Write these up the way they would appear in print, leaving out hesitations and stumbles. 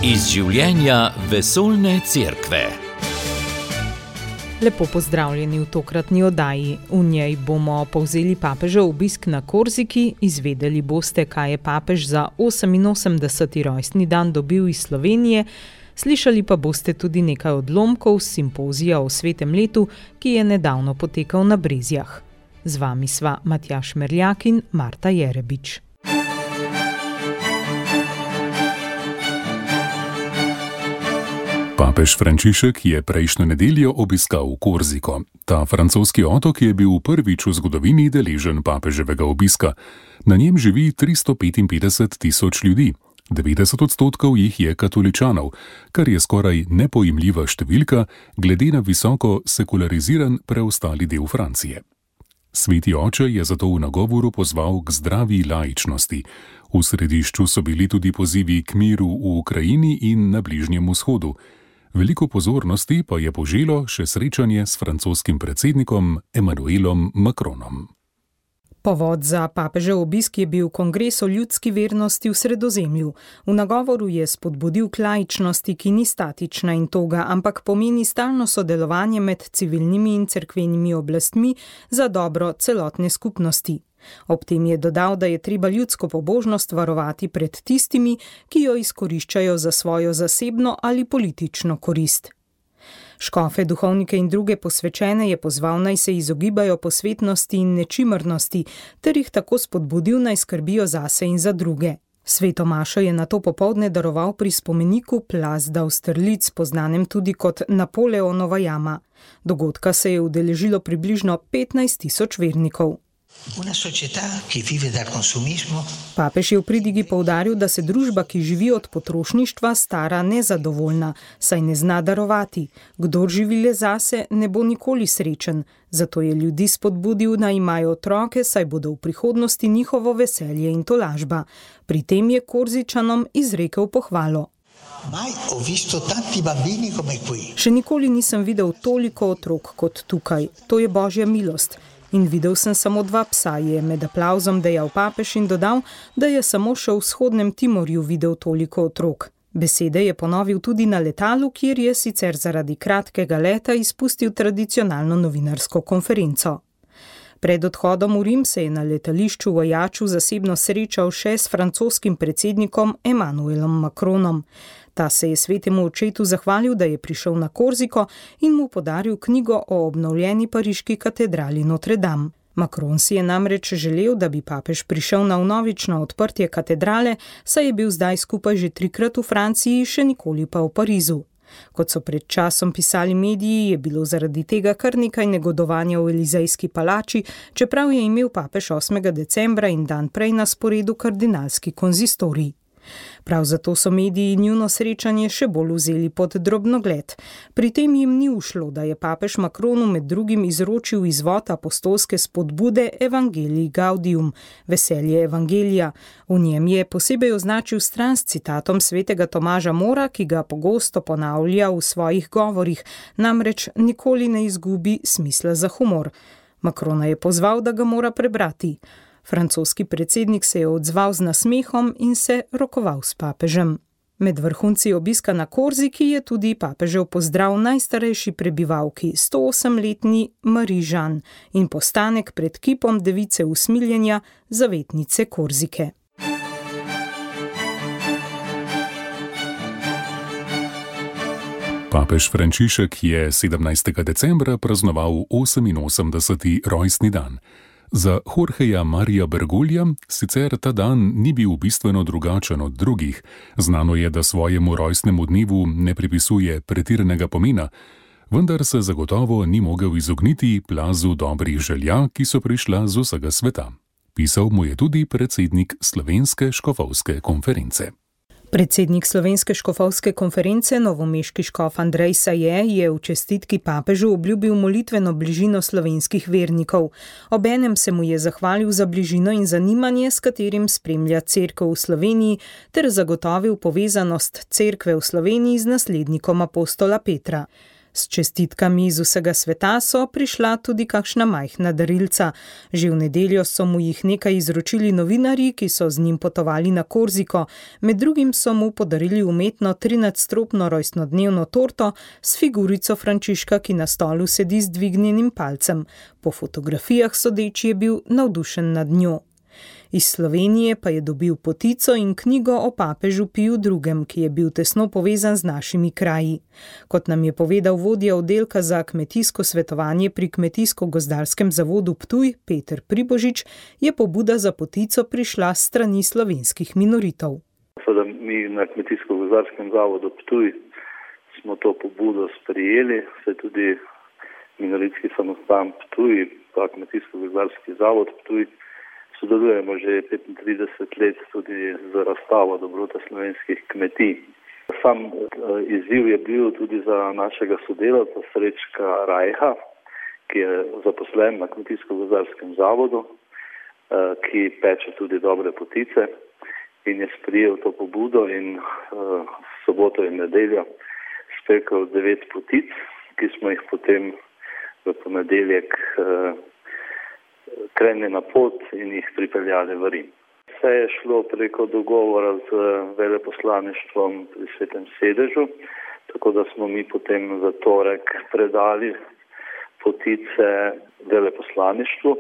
Iz življenja vesoljne cerkve. Lepo pozdravljeni v tokratni oddaji. V njej bomo povzeli papežev obisk na Korziki, izvedeli boste, kaj je papež za 88. rojstni dan dobil iz Slovenije, slišali pa boste tudi nekaj odlomkov s simpozija o svetem letu, ki je nedavno potekal na Brezjah. Z vami sva Matjaž Merljak in Marta Jerebič. Papež Frančišek je prejšnjo nedeljo obiskal Korziko. Ta francoski otok je bil prvič v zgodovini deležen papeževega obiska. Na njem živi 355.000 ljudi. 90% jih je katoličanov, kar je skoraj nepojemljiva številka glede na visoko sekulariziran preostali del Francije. Sveti oče je zato v nagovoru pozval k zdravi laičnosti. V središču so bili tudi pozivi k miru v Ukrajini in na Bližnjem vzhodu. Veliko pozornosti pa je poželo še srečanje s francoskim predsednikom Emmanuelom Macronom. Povod za papežev obisk je bil kongres o ljudski vernosti v Sredozemlju. V nagovoru je spodbudil k laičnosti, ki ni statična in toga, ampak pomeni stalno sodelovanje med civilnimi in cerkvenimi oblastmi za dobro celotne skupnosti. Ob tem je dodal, da je treba ljudsko pobožnost varovati pred tistimi, ki jo izkoriščajo za svojo zasebno ali politično korist. Škofe, duhovnike in druge posvečene je pozval, naj se izogibajo posvetnosti in nečimrnosti, ter jih tako spodbudil, naj skrbijo zase in za druge. Sveto mašo je nato popoldne daroval pri spomeniku Place d'Austerlitz, poznanem tudi kot Napoleonova jama. Dogodka se je udeležilo približno 15.000 vernikov. Papež je v pridigi poudaril, da se družba, ki živi od potrošništva, stara nezadovoljna, saj ne zna darovati. Kdor živi le zase, ne bo nikoli srečen. Zato je ljudi spodbudil, naj imajo otroke, saj bodo v prihodnosti njihovo veselje in tolažba. Pri tem je Korzičanom izrekel pohvalo. Še nikoli nisem videl toliko otrok kot tukaj. To je božja milost. In videl sem samo 2 psa, je med aplavzom dejal papež in dodal, da je samo še v vzhodnem Timorju videl toliko otrok. Besede je ponovil tudi na letalu, kjer je sicer zaradi kratkega leta izpustil tradicionalno novinarsko konferenco. Pred odhodom v Rim se je na letališču v Ajaču zasebno srečal še s francoskim predsednikom Emmanuelom Macronom. Ta se je svetemu očetu zahvalil, da je prišel na Korziko in mu podaril knjigo o obnovljeni pariški katedrali Notre Dame. Macron si je namreč želel, da bi papež prišel na vnovično odprtje katedrale, saj je bil zdaj skupaj že 3-krat v Franciji, še nikoli pa v Parizu. Kot so pred časom pisali mediji, je bilo zaradi tega kar nekaj negodovanja v Elizejski palači, čeprav je imel papež 8. decembra in dan prej na sporedu kardinalski konzistorij. Prav zato so mediji njuno srečanje še bolj vzeli pod drobnogled. Pri tem jim ni ušlo, da je papež Macronu med drugim izročil izvod apostolske spodbude Evangelii Gaudium, veselje evangelija. V njem je posebej označil stran s citatom svetega Tomaža Mora, ki ga pogosto ponavlja v svojih govorih, namreč nikoli ne izgubi smisla za humor. Macrona je pozval, da ga mora prebrati. Francoski predsednik se je odzval z nasmehom in se rokoval s papežem. Med vrhunci obiska na Korziki je tudi papežev pozdrav najstarejši prebivalki, 108-letni Marie Jeanne, in postanek pred kipom device usmiljenja, zavetnice Korzike. Papež Frančišek je 17. decembra praznoval 88. rojstni dan. Za Jorgeja Marija Bergolja sicer ta dan ni bil bistveno drugačen od drugih. Znano je, da svojemu rojstnemu dnevu ne pripisuje pretiranega pomena, vendar se zagotovo ni mogel izogniti plazu dobrih želja, ki so prišla z vsega sveta. Pisal mu je tudi predsednik Slovenske škofovske konference. Predsednik Slovenske škofovske konference, novomeški škof Andrej Saje, je v čestitki papežu obljubil molitveno bližino slovenskih vernikov. Obenem se mu je zahvalil za bližino in zanimanje, s katerim spremlja cerkev v Sloveniji, ter zagotovil povezanost cerkve v Sloveniji z naslednikom apostola Petra. S čestitkami iz vsega sveta so prišla tudi kakšna majhna darilca. Že v nedeljo so mu jih nekaj izročili novinarji, ki so z njim potovali na Korziko. Med drugim so mu podarili umetno 13-stropno rojstnodnevno torto s figurico Frančiška, ki na stolu sedi z dvignjenim palcem. Po fotografijah sodeč je bil navdušen nad njo. Iz Slovenije pa je dobil potico in knjigo o papežu Piju II., ki je bil tesno povezan z našimi kraji. Kot nam je povedal vodja oddelka za kmetijsko svetovanje pri Kmetijsko-gozdarskem zavodu Ptuj, Peter Pribožič, je pobuda za potico prišla s strani slovenskih minoritov. Seveda mi na Kmetijsko-gozdarskem zavodu Ptuj smo to pobudo sprejeli, se tudi minoritski samostan Ptuj, pa Kmetijsko-gozdarski zavod Ptuj, sodelujemo že 35 let tudi z razstavo dobrota slovenskih kmetij. Sam izziv je bil tudi za našega sodelavca Srečka Rajha, ki je zaposlen na Kmetijsko-gozdarskem zavodu, ki peče tudi dobre potice in je sprejel to pobudo in soboto in nedeljo spekel 9 potic, ki smo jih potem v ponedeljek krenili na pot in jih pripeljali v Rim. Vse je šlo preko dogovora z veleposlaništvom pri Svetem sedežu, tako da smo mi potem v torek predali potice veleposlaništvu,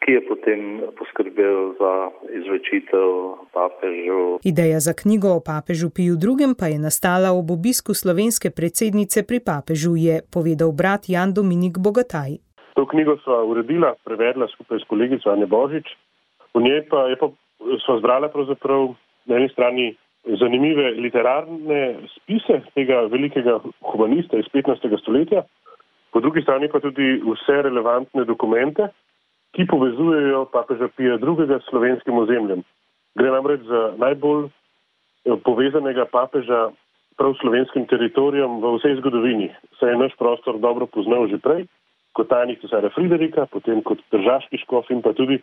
ki je potem poskrbel za izročitev papežu. Ideja za knjigo o papežu Piju II. Pa je nastala ob obisku slovenske predsednice pri papežu, je povedal brat Jan Dominik Bogataj. To knjigo sva uredila, prevedla skupaj s kolegico Anje Božič. V njej pa sva zbrala pravzaprav na eni strani zanimive literarne spise tega velikega humanista iz 15. stoletja, po drugi strani pa tudi vse relevantne dokumente, ki povezujejo papeža Pija II. S slovenskim ozemljem. Gre namreč za najbolj povezanega papeža prav slovenskim teritorijem v vsej zgodovini. Saj je naš prostor dobro poznal že prej, kot tajnik cesarja Friderika, potem kot tržaški škof in pa tudi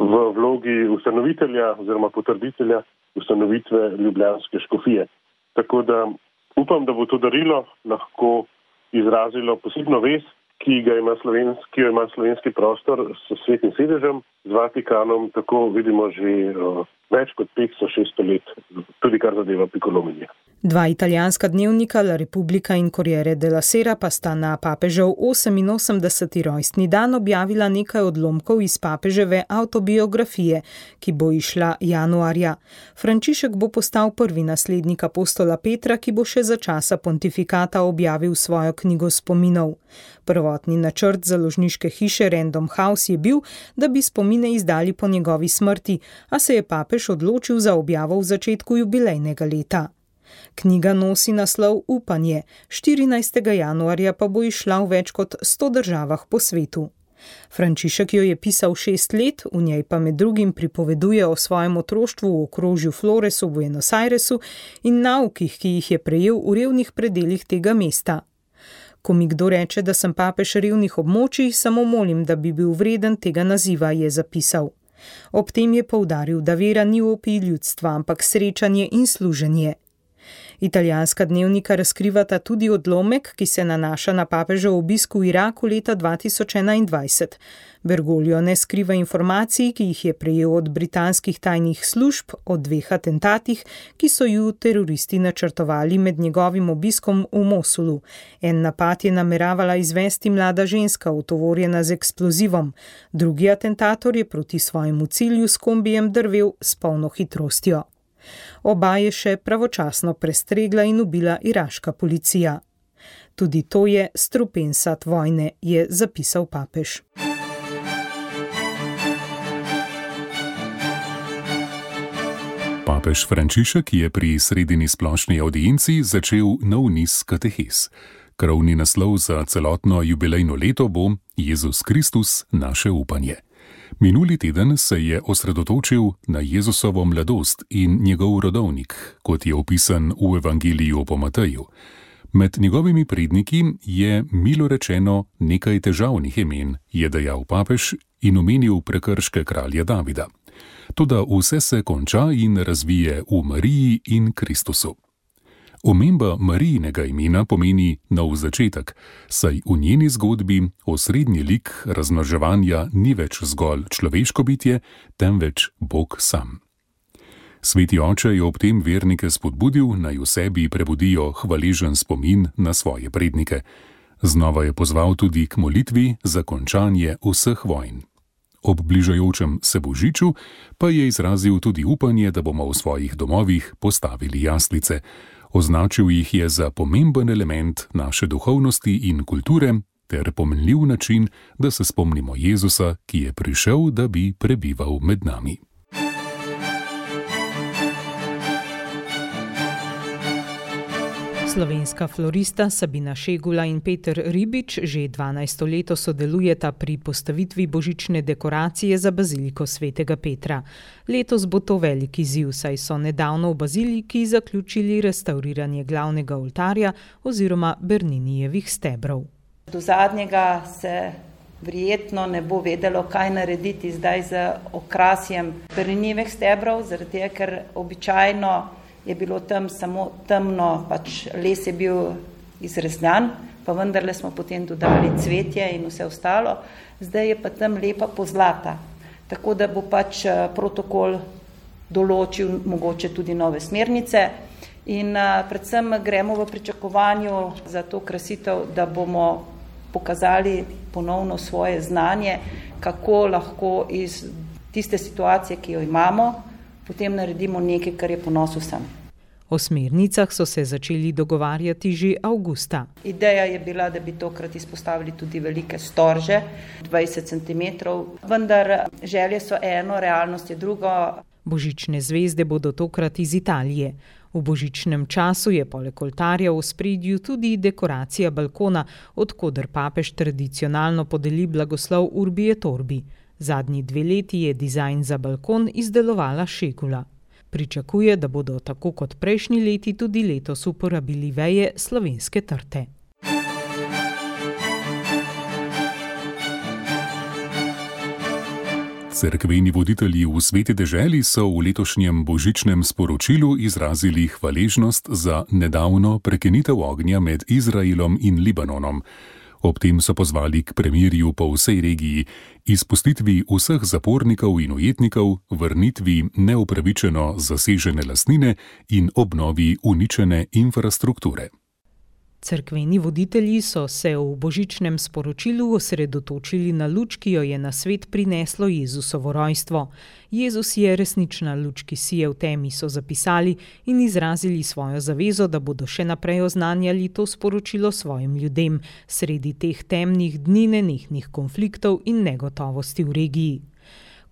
v vlogi ustanovitelja oziroma potrditelja ustanovitve ljubljanske škofije. Tako da upam, da bo to darilo lahko izrazilo posebno vez, ki jo ima slovenski prostor s Svetim sedežem, z Vatikanom, tako vidimo že več kot 500-600 let, tudi kar zadeva pikolominje. Dva italijanska dnevnika, La Repubblica in Corriere della Sera, pa sta na papežev 88. rojstni dan objavila nekaj odlomkov iz papeževe avtobiografije, ki bo izšla januarja. Frančišek bo postal prvi naslednik apostola Petra, ki bo še za časa pontifikata objavil svojo knjigo spominov. Prvotni načrt založniške hiše Random House je bil, da bi spomine izdali po njegovi smrti, a se je papež odločil za objavo v začetku jubilejnega leta. Knjiga nosi naslov Upanje, 14. januarja pa bo izšla v več kot 100 državah po svetu. Frančišek jo je pisal 6 let, v njej pa med drugim pripoveduje o svojem otroštvu v okrožju Floresu v Buenos Airesu in naukih, ki jih je prejel v revnih predelih tega mesta. Ko mi kdo reče, da sem papež revnih območij, samo molim, da bi bil vreden tega naziva, je zapisal. Ob tem je poudaril, da vera ni opij ljudstva, ampak srečanje in služenje. Italijanska dnevnika razkrivata tudi odlomek, ki se nanaša na papežev obisk v Iraku leta 2021. Bergoglio ne skriva informacij, ki jih je prejel od britanskih tajnih služb o 2 atentatih, ki so ju teroristi načrtovali med njegovim obiskom v Mosulu. En napad je nameravala izvesti mlada ženska, utovorjena z eksplozivom. Drugi atentator je proti svojemu cilju s kombijem drvel s polno hitrostjo. Oba je še pravočasno prestregla in ubila iraška policija. Tudi to je strupen sad vojne, je zapisal papež. Papež Frančišek je pri sredini splošni audienci začel nov niz katehes. Krovni naslov za celotno jubilejno leto bo Jezus Kristus, naše upanje. Minuli teden se je osredotočil na Jezusovo mladost in njegov rodovnik, kot je opisan v Evangeliju po Mateju. Med njegovimi predniki je, milo rečeno, nekaj težavnih imen, je dejal papež in omenil prekrške kralja Davida. Toda vse se konča in razvije v Mariji in Kristusu. Omemba Marijinega imena pomeni nov začetek, saj v njeni zgodbi osrednji lik razmnoževanja ni več zgolj človeško bitje, temveč Bog sam. Sveti oče je ob tem vernike spodbudil, naj v sebi prebudijo hvaležen spomin na svoje prednike. Znova je pozval tudi k molitvi za končanje vseh vojn. Ob bližajočem se božiču pa je izrazil tudi upanje, da bomo v svojih domovih postavili jaslice. Označil jih je za pomemben element naše duhovnosti in kulture ter pomenljiv način, da se spomnimo Jezusa, ki je prišel, da bi prebival med nami. Slovenska florista Sabina Šegula in Peter Ribič že 12. leto sodelujeta pri postavitvi božične dekoracije za baziliko svetega Petra. Letos bo to velik izziv, saj so nedavno v baziliki zaključili restavriranje glavnega oltarja oziroma Berninijevih stebrov. Do zadnjega se verjetno ne bo vedelo, kaj narediti zdaj z okrasjem Berninijevih stebrov, zaradi tega, ker običajno je bilo tam samo temno, pač les je bil izrezljan, pa vendarle smo potem dodali cvetje in vse ostalo. Zdaj je pa tam lepa pozlata, tako da bo pač protokol določil mogoče tudi nove smernice in predvsem gremo v pričakovanju za to krasitev, da bomo pokazali ponovno svoje znanje, kako lahko iz tiste situacije, ki jo imamo, potem naredimo nekaj, kar je ponos vsem. O smernicah so se začeli dogovarjati že avgusta. Ideja je bila, da bi tokrat izpostavili tudi velike storže, 20 cm, vendar želje so eno, realnost je drugo. Božične zvezde bodo tokrat iz Italije. V božičnem času je poleg oltarja v ospredju tudi dekoracija balkona, od koder papež tradicionalno podeli blagoslov Urbi et Orbi. Zadnji 2 leti je dizajn za balkon izdelovala Šegula. Pričakuje, da bodo tako kot prejšnji leti tudi letos uporabili veje slovenske trte. Cerkveni voditelji v Sveti deželi so v letošnjem božičnem sporočilu izrazili hvaležnost za nedavno prekinitev ognja med Izraelom in Libanonom. Ob tem so pozvali k premirju po vsej regiji, izpustitvi vseh zapornikov in ujetnikov, vrnitvi neupravičeno zasežene lastnine in obnovi uničene infrastrukture. Cerkveni voditelji so se v božičnem sporočilu osredotočili na luč, ki jo je na svet prineslo Jezusovo rojstvo. Jezus je resnična luč, ki sije v temi, so zapisali in izrazili svojo zavezo, da bodo še naprej oznanjali to sporočilo svojim ljudem, sredi teh temnih dni nenehnih konfliktov in negotovosti v regiji.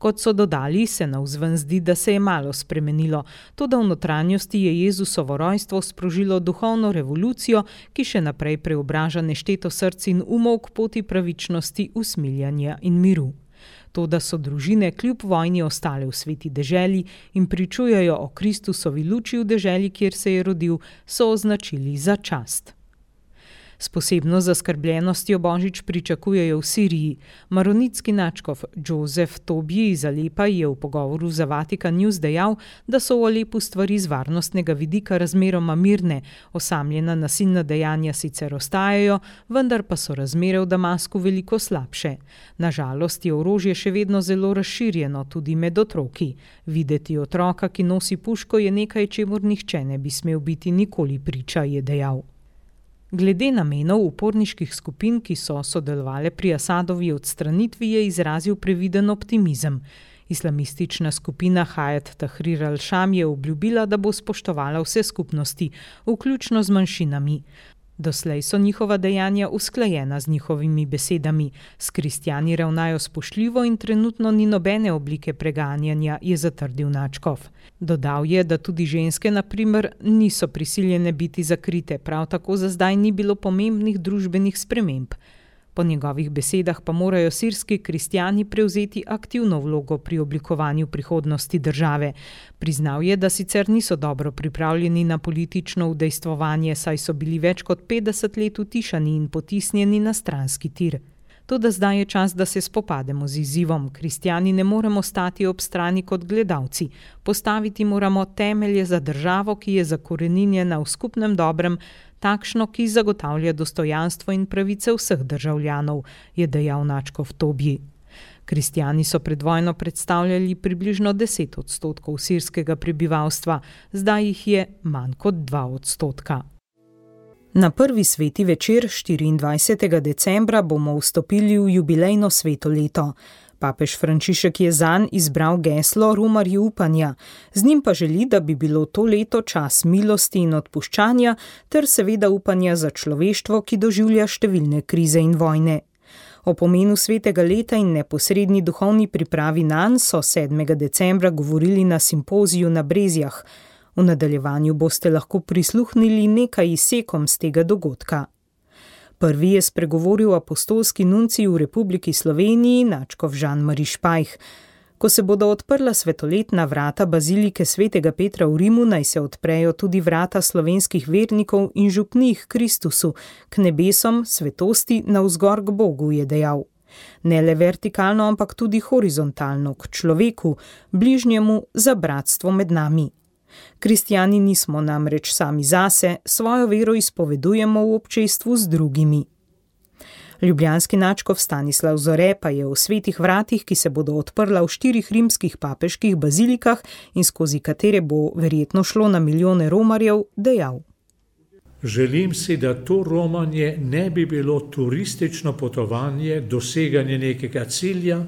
Kot so dodali, se navzven zdi, da se je malo spremenilo, toda v notranjosti je Jezusovo rojstvo sprožilo duhovno revolucijo, ki še naprej preobraža nešteto src in umov k poti pravičnosti, usmiljanja in miru. Toda so družine kljub vojni ostale v sveti deželi in pričujejo o Kristusovi luči v deželi, kjer se je rodil, so označili za čast. S posebno zaskrbljenostjo božič pričakujejo v Siriji. Maronitski nadškof Joseph Tobji iz Alepa je v pogovoru za Vatikan News dejal, da so v Alepu stvari z varnostnega vidika razmeroma mirne, osamljena nasilna dejanja sicer ostajajo, vendar pa so razmere v Damasku veliko slabše. Na žalost je orožje še vedno zelo razširjeno, tudi med otroki. Videti otroka, ki nosi puško, je nekaj, čemur nihče ne bi smel biti nikoli priča, je dejal. Glede namenov uporniških skupin, ki so sodelovale pri Asadovi odstranitvi, je izrazil previden optimizem. Islamistična skupina Hayat Tahrir al-Sham je obljubila, da bo spoštovala vse skupnosti, vključno z manjšinami. Doslej so njihova dejanja usklajena z njihovimi besedami. S kristjani ravnajo spoštljivo in trenutno ni nobene oblike preganjanja, je zatrdil nadškof. Dodal je, da tudi ženske, na primer, niso prisiljene biti zakrite, prav tako za zdaj ni bilo pomembnih družbenih sprememb. Po njegovih besedah pa morajo sirski kristjani prevzeti aktivno vlogo pri oblikovanju prihodnosti države. Priznal je, da sicer niso dobro pripravljeni na politično udejstvovanje, saj so bili več kot 50 let utišani in potisnjeni na stranski tir. Toda zdaj je čas, da se spopademo z izzivom. Kristjani ne moremo stati ob strani kot gledalci. Postaviti moramo temelje za državo, ki je zakoreninjena v skupnem dobrem, takšno, ki zagotavlja dostojanstvo in pravice vseh državljanov, je dejal nadškof Tobji. Kristjani so pred vojno predstavljali približno 10% sirskega prebivalstva, zdaj jih je manj kot 2%. Na prvi sveti večer 24. decembra bomo vstopili v jubilejno sveto leto. Papež Frančišek je zanj izbral geslo Romarji upanja. Z njim pa želi, da bi bilo to leto čas milosti in odpuščanja ter seveda upanja za človeštvo, ki doživlja številne krize in vojne. O pomenu svetega leta in neposredni duhovni pripravi nanj so 7. decembra govorili na simpoziju na Brezjah. V nadaljevanju boste lahko prisluhnili nekaj izsekom z tega dogodka. Prvi je spregovoril apostolski nuncij v Republiki Sloveniji, nadškof Jean-Marie Špajh. Ko se bodo odprla svetoletna vrata bazilike svetega Petra v Rimu, naj se odprejo tudi vrata slovenskih vernikov in župnih Kristusu, k nebesom, svetosti, navzgor k Bogu, je dejal. Ne le vertikalno, ampak tudi horizontalno, k človeku, bližnjemu, za bratstvo med nami. Kristjani nismo namreč sami zase, svojo vero izpovedujemo v občestvu z drugimi. Ljubljanski nadškof Stanislav Zore pa je o svetih vratih, ki se bodo odprla v 4 rimskih papeških bazilikah in skozi katere bo verjetno šlo na milijone romarjev, dejal. Želim si, da to romanje ne bi bilo turistično potovanje, doseganje nekega cilja,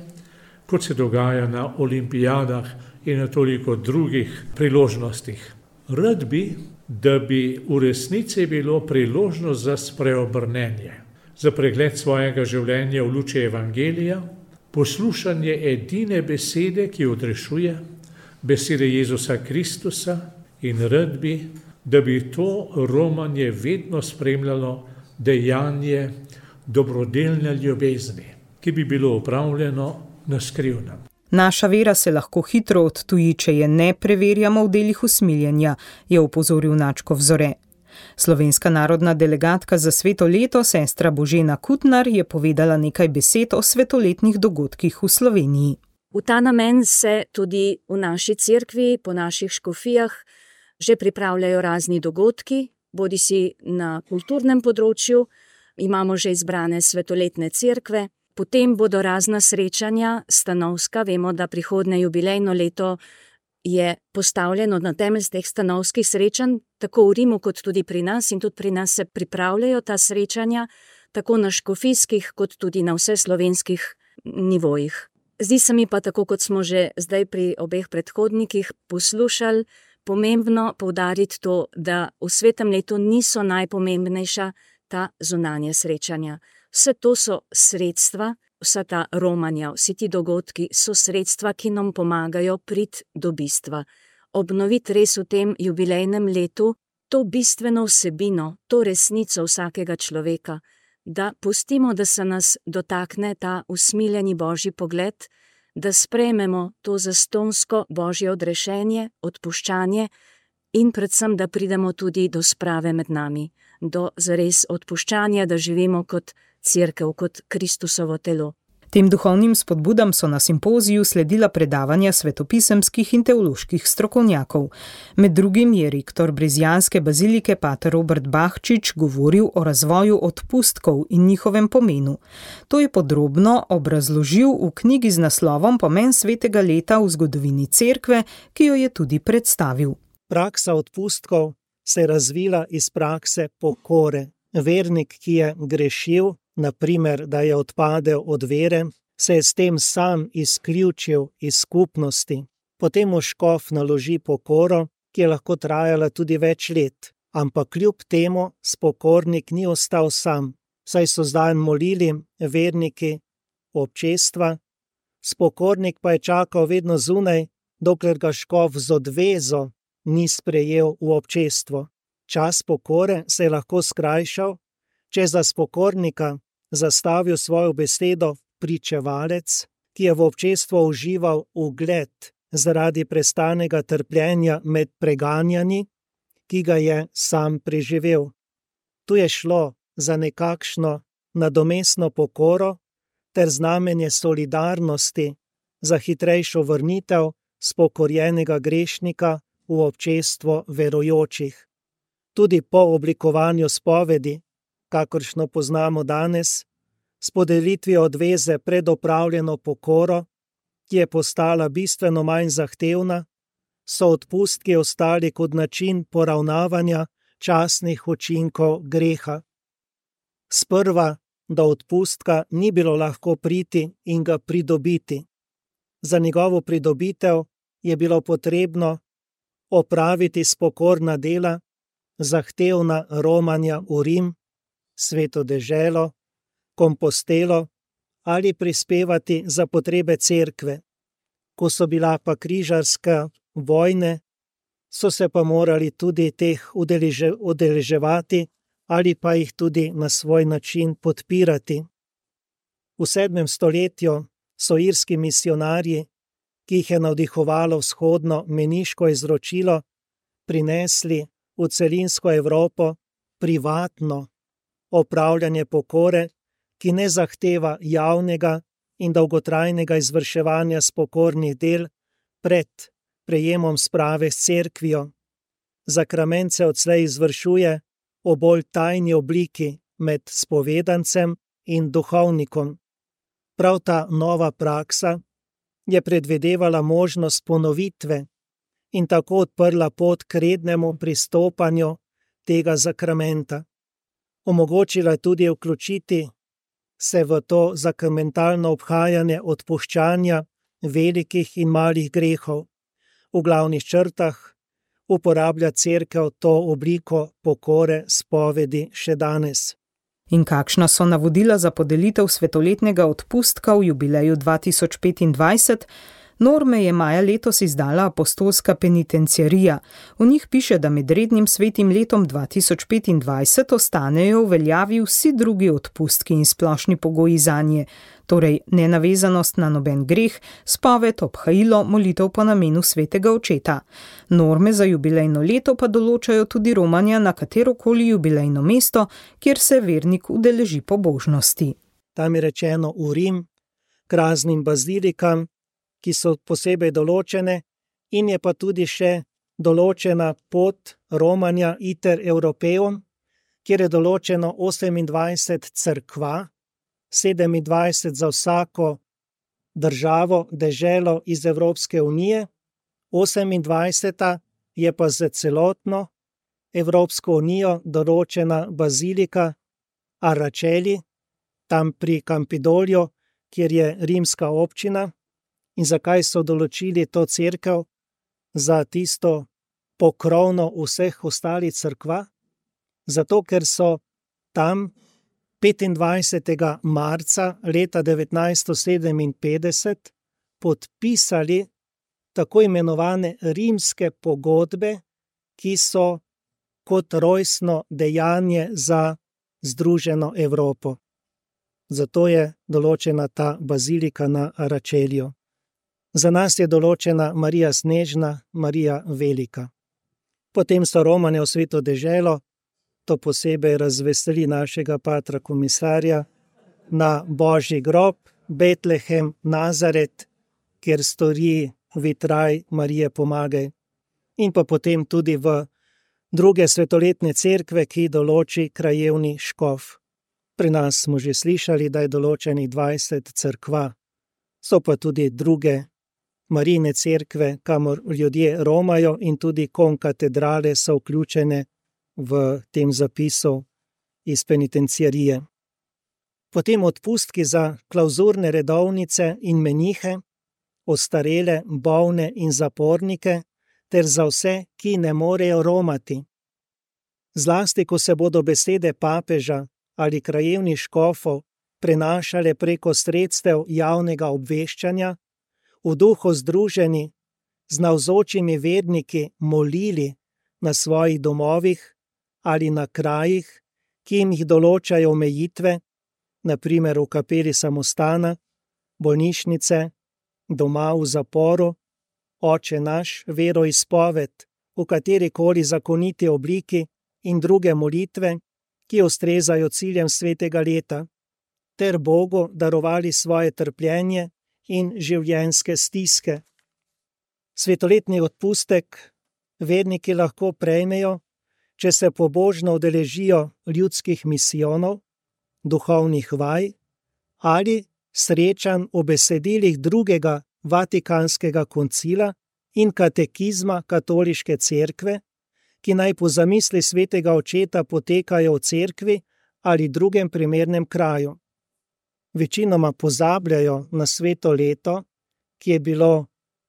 kot se dogaja na olimpijadah in na toliko drugih priložnostih. Rad bi, da bi v resnici bilo priložnost za spreobrnenje, za pregled svojega življenja v luči evangelija, poslušanje edine besede, ki odrešuje, besede Jezusa Kristusa, in rad bi, da bi to romanje vedno spremljalo dejanje dobrodelne ljubezni, ki bi bilo opravljeno na skrivnem. Naša vera se lahko hitro odtuji, če je ne preverjamo v delih usmiljenja, je opozoril nadškof Zore. Slovenska narodna delegatka za sveto leto, sestra Božena Kutnar, je povedala nekaj besed o svetoletnih dogodkih v Sloveniji. V ta namen se tudi v naši cerkvi, po naših škofijah, že pripravljajo razni dogodki, bodisi na kulturnem področju, imamo že izbrane svetoletne cerkve, potem bodo razna srečanja stanovska, vemo, da prihodnje jubilejno leto je postavljeno na temelj teh stanovskih srečanj, tako v Rimu kot tudi pri nas, in tudi pri nas se pripravljajo ta srečanja, tako na škofijskih kot tudi na vseslovenskih nivojih. Zdi se mi pa, tako kot smo že zdaj pri obeh predhodnikih poslušali, pomembno poudariti to, da v svetem letu niso najpomembnejša ta zunanja srečanja. Vse to so sredstva, vsa ta romanja, vsi ti dogodki so sredstva, ki nam pomagajo priti do bistva. Obnoviti res v tem jubilejnem letu to bistveno vsebino, to resnico vsakega človeka, da pustimo, da se nas dotakne ta usmiljeni Božji pogled, da sprejmemo to zastonsko Božje odrešenje, odpuščanje in predvsem, da pridemo tudi do sprave med nami, do zares odpuščanja, da živimo kot cerkev, kot Kristusovo telo. Tem duhovnim spodbudam so na simpoziju sledila predavanja svetopisemskih in teoloških strokovnjakov. Med drugim je rektor brezjanske bazilike pater Robert Bahčič govoril o razvoju odpustkov in njihovem pomenu. To je podrobno obrazložil v knjigi z naslovom Pomen svetega leta v zgodovini cerkve, ki jo je tudi predstavil. Praksa odpustkov se je razvila iz prakse pokore. Vernik, ki je grešil, naprimer, da je odpadel od vere, se je s tem sam izključil iz skupnosti. Potem mu škof naloži pokoro, ki je lahko trajala tudi več let, ampak kljub temu spokornik ni ostal sam, saj so zdaj molili verniki občestva. Spokornik pa je čakal vedno zunaj, dokler ga škof z odvezo ni sprejel v občestvo. Čas pokore se je lahko skrajšal, če za spokornika zastavil svojo besedo pričevalec, ki je v občestvu užival ugled zaradi prestanega trpljenja med preganjani, ki ga je sam preživel. Tu je šlo za nekakšno nadomestno pokoro, ter znamenje solidarnosti za hitrejšo vrnitev spokorjenega grešnika v občestvo verujočih. Tudi po oblikovanju spovedi, kakršno poznamo danes, s podelitvijo odveze pred opravljeno pokoro, ki je postala bistveno manj zahtevna, so odpustki ostali kot način poravnavanja časnih učinkov greha. Sprva do odpustka ni bilo lahko priti in ga pridobiti. Za njegovo pridobitev je bilo potrebno opraviti spokorna dela, zahtevna romanja v Rim, Sveto deželo, Kompostelo ali prispevati za potrebe cerkve. Ko so bila pa križarske vojne, so se pa morali tudi teh udeleževati ali pa jih tudi na svoj način podpirati. V 7. stoletju so irski misionarji, ki jih je navdihovalo vzhodno meniško izročilo, prinesli v celinsko Evropo privatno opravljanje pokore, ki ne zahteva javnega in dolgotrajnega izvrševanja spokornih del pred prejemom sprave s cerkvijo. Zakrament se odslej izvršuje v bolj tajni obliki med spovedancem in duhovnikom. Prav ta nova praksa je predvidevala možnost ponovitve in tako odprla pot k rednemu pristopanju tega zakramenta. Omogočila tudi vključiti se v to zakramentalno obhajanje odpuščanja velikih in malih grehov. V glavnih črtah uporablja cerkev to obliko pokore spovedi še danes. In kakšna so navodila za podelitev svetoletnega odpustka v jubileju 2025? Norme je maja letos izdala apostolska penitenciarija. V njih piše, da med rednim svetim letom 2025 ostanejo v veljavi vsi drugi odpustki in splošni pogoji zanje, torej nenavezanost na noben greh, spoved, obhajilo, molitev po namenu svetega očeta. Norme za jubilejno leto pa določajo tudi romanja na katerokoli jubilejno mesto, kjer se vernik udeleži pobožnosti. Tam je rečeno v Rim, k raznim bazilikam, ki so posebej določene, in je pa tudi še določena pot romanja iter Europeum, kjer je določeno 28 cerkva, 27 za vsako državo, deželo iz Evropske unije, 28 je pa za celotno Evropsko unijo določena bazilika Araceli, tam pri Campidolju, kjer je rimska občina. In zakaj so določili to cerkev za tisto pokrovno vseh ostalih cerkva? Zato, ker so tam 25. marca leta 1957 podpisali tako imenovane rimske pogodbe, ki so kot rojstno dejanje za združeno Evropo. Zato je določena ta bazilika na Aračelju. Za nas je določena Marija Snežna, Marija Velika. Potem so romanje v Sveto deželo, to posebej razveseli našega patra komisarja, na Božji grob, Betlehem, Nazaret, kjer stoji vitraj Marije Pomagaj. In pa potem tudi v druge svetoletne cerkve, ki določi krajevni škof. Pri nas smo že slišali, da je določenih 20 cerkva. So pa tudi druge Marijine cerkve, kamor ljudje romajo, in tudi konkatedrale so vključene v tem zapisu iz penitenciarije. Potem odpustki za klauzurne redovnice in menihe, ostarele, bolne in zapornike, ter za vse, ki ne morejo romati. Zlasti, ko se bodo besede papeža ali krajevnih škofov prenašale preko sredstev javnega obveščanja, v duhu združeni z navzočimi verniki molili na svojih domovih ali na krajih, ki jim jih določajo omejitve, na primer v kapeli samostana, bolnišnice, doma v zaporu, Oče naš, veroizpoved, v katerikoli zakoniti obliki in druge molitve, ki ustrezajo ciljem svetega leta. ter Bogu darovali svoje trpljenje in življenjske stiske. Svetoletni odpustek verniki lahko prejmejo, če se pobožno udeležijo ljudskih misijonov, duhovnih vaj ali srečanj v besedilih drugega Vatikanskega koncila in katekizma Katoliške cerkve, ki naj po zamisli svetega očeta potekajo v cerkvi ali drugem primernem kraju. Večinoma pozabljajo na sveto leto, ki je bilo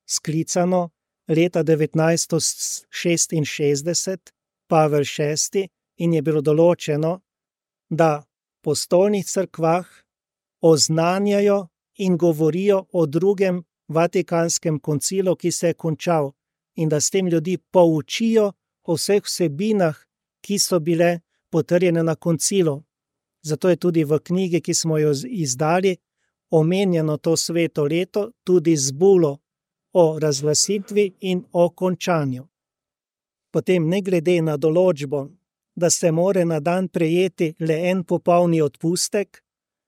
sklicano leta 1966, Pavel VI, in je bilo določeno, da po stolnih cerkvah oznanjajo in govorijo o drugem Vatikanskem koncilu, ki se je končal, in da s tem ljudi poučijo o vseh vsebinah, ki so bile potrjene na koncilu. Zato je tudi v knjigi, ki smo jo izdali, omenjeno to sveto leto tudi z bulo o razglasitvi in o končanju. Potem, ne glede na določbo, da se more na dan prejeti le en popolni odpustek,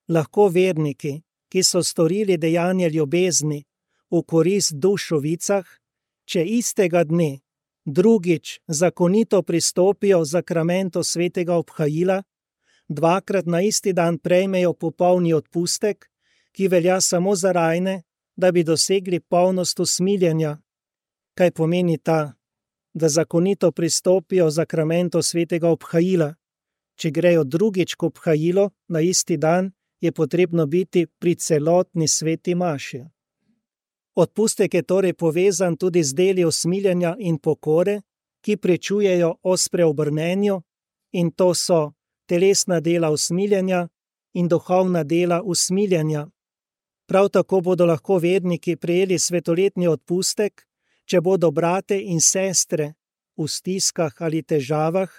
lahko verniki, ki so storili dejanje ljubezni v korist dušovicah, če istega dne drugič zakonito pristopijo zakramentu svetega obhajila, dvakrat na isti dan prejmejo popolni odpustek, ki velja samo za rajne, da bi dosegli polnost usmiljenja. Kaj pomeni ta, da zakonito pristopijo zakramentu svetega obhajila? Če grejo drugič k obhajilu na isti dan, je potrebno biti pri celotni sveti maši. Odpustek je torej povezan tudi z deli usmiljenja in pokore, ki pričujejo o spreobrnenju, in to so telesna dela usmiljenja in duhovna dela usmiljenja. Prav tako bodo lahko verniki prejeli svetoletni odpustek, če bodo brate in sestre v stiskah ali težavah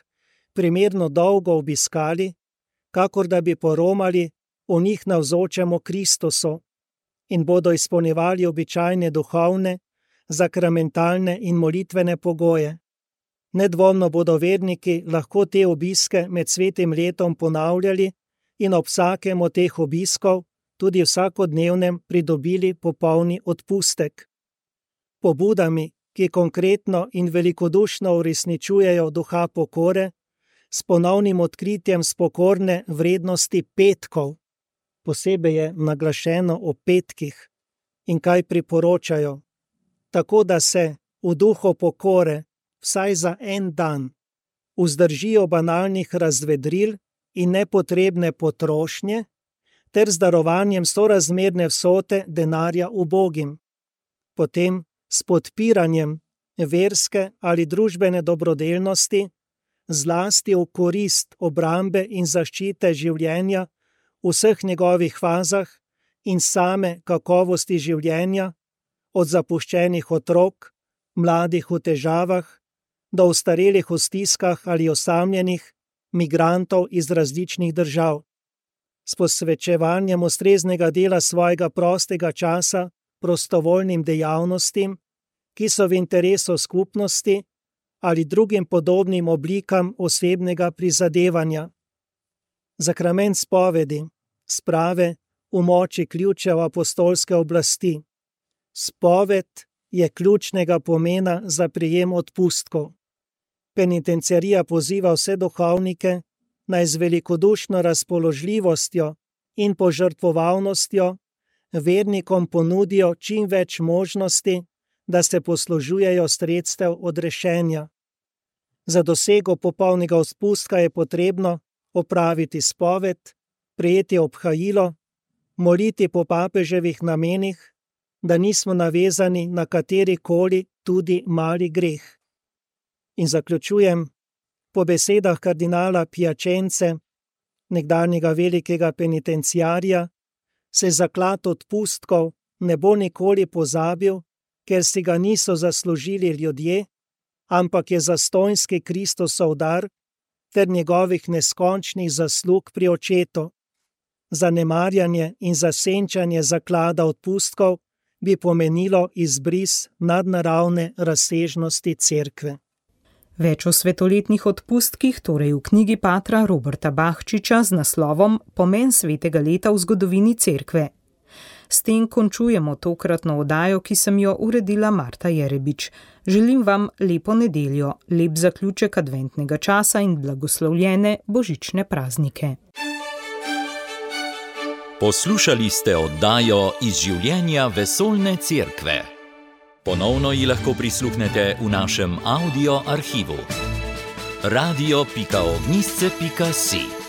primerno dolgo obiskali, kakor da bi poromali v njih navzočemu Kristusu, in bodo izpolnjevali običajne duhovne, zakramentalne in molitvene pogoje. Nedvomno bodo verniki lahko te obiske med svetim letom ponavljali in ob vsakem od teh obiskov, tudi vsakodnevnem, pridobili popolni odpustek. Pobudami, ki konkretno in velikodušno uresničujejo duha pokore, s ponovnim odkritjem spokorne vrednosti petkov, posebej je naglašeno o petkih, in kaj priporočajo, tako da se v duhu pokore vsaj za en dan vzdržijo banalnih razvedril in nepotrebne potrošnje, ter z darovanjem sorazmerne vsote denarja ubogim. Potem s podpiranjem verske ali družbene dobrodelnosti, zlasti v korist obrambe in zaščite življenja v vseh njegovih fazah in same kakovosti življenja, od zapuščenih otrok, mladih v težavah, do ostarelih v stiskah ali osamljenih migrantov iz različnih držav. S posvečevanjem ustreznega dela svojega prostega časa prostovoljnim dejavnostim, ki so v interesu skupnosti, ali drugim podobnim oblikam osebnega prizadevanja. Zakrament spovedi sprave v moči ključev apostolske oblasti. Spoved je ključnega pomena za prijem odpustkov. Penitenciarija poziva vse duhovnike, naj z velikodušno razpoložljivostjo in požrtvovalnostjo vernikom ponudijo čim več možnosti, da se poslužujejo sredstev odrešenja. Za dosego popolnega odpustka je potrebno opraviti spoved, prejeti obhajilo, moliti po papeževih namenih, da nismo navezani na katerikoli tudi mali greh. In zaključujem, po besedah kardinala Piacence, nekdanjega velikega penitenciarja, se zaklad odpustkov ne bo nikoli pozabil, ker si ga niso zaslužili ljudje, ampak je zastonjski Kristusov dar ter njegovih neskončnih zaslug pri očetu. Zanemarjanje in zasenčanje zaklada odpustkov bi pomenilo izbris nadnaravne razsežnosti cerkve. Več o svetoletnih odpustkih, torej v knjigi patra Roberta Bahčiča z naslovom Pomen svetega leta v zgodovini cerkve. S tem končujemo tokratno oddajo, ki sem jo uredila Marta Jerebič. Želim vam lepo nedeljo, lep zaključek adventnega časa in blagoslovljene božične praznike. Poslušali ste oddajo Iz življenja vesoljne cerkve. Ponovno ji lahko prisluhnete v našem audio arhivu. radio.ognisce.si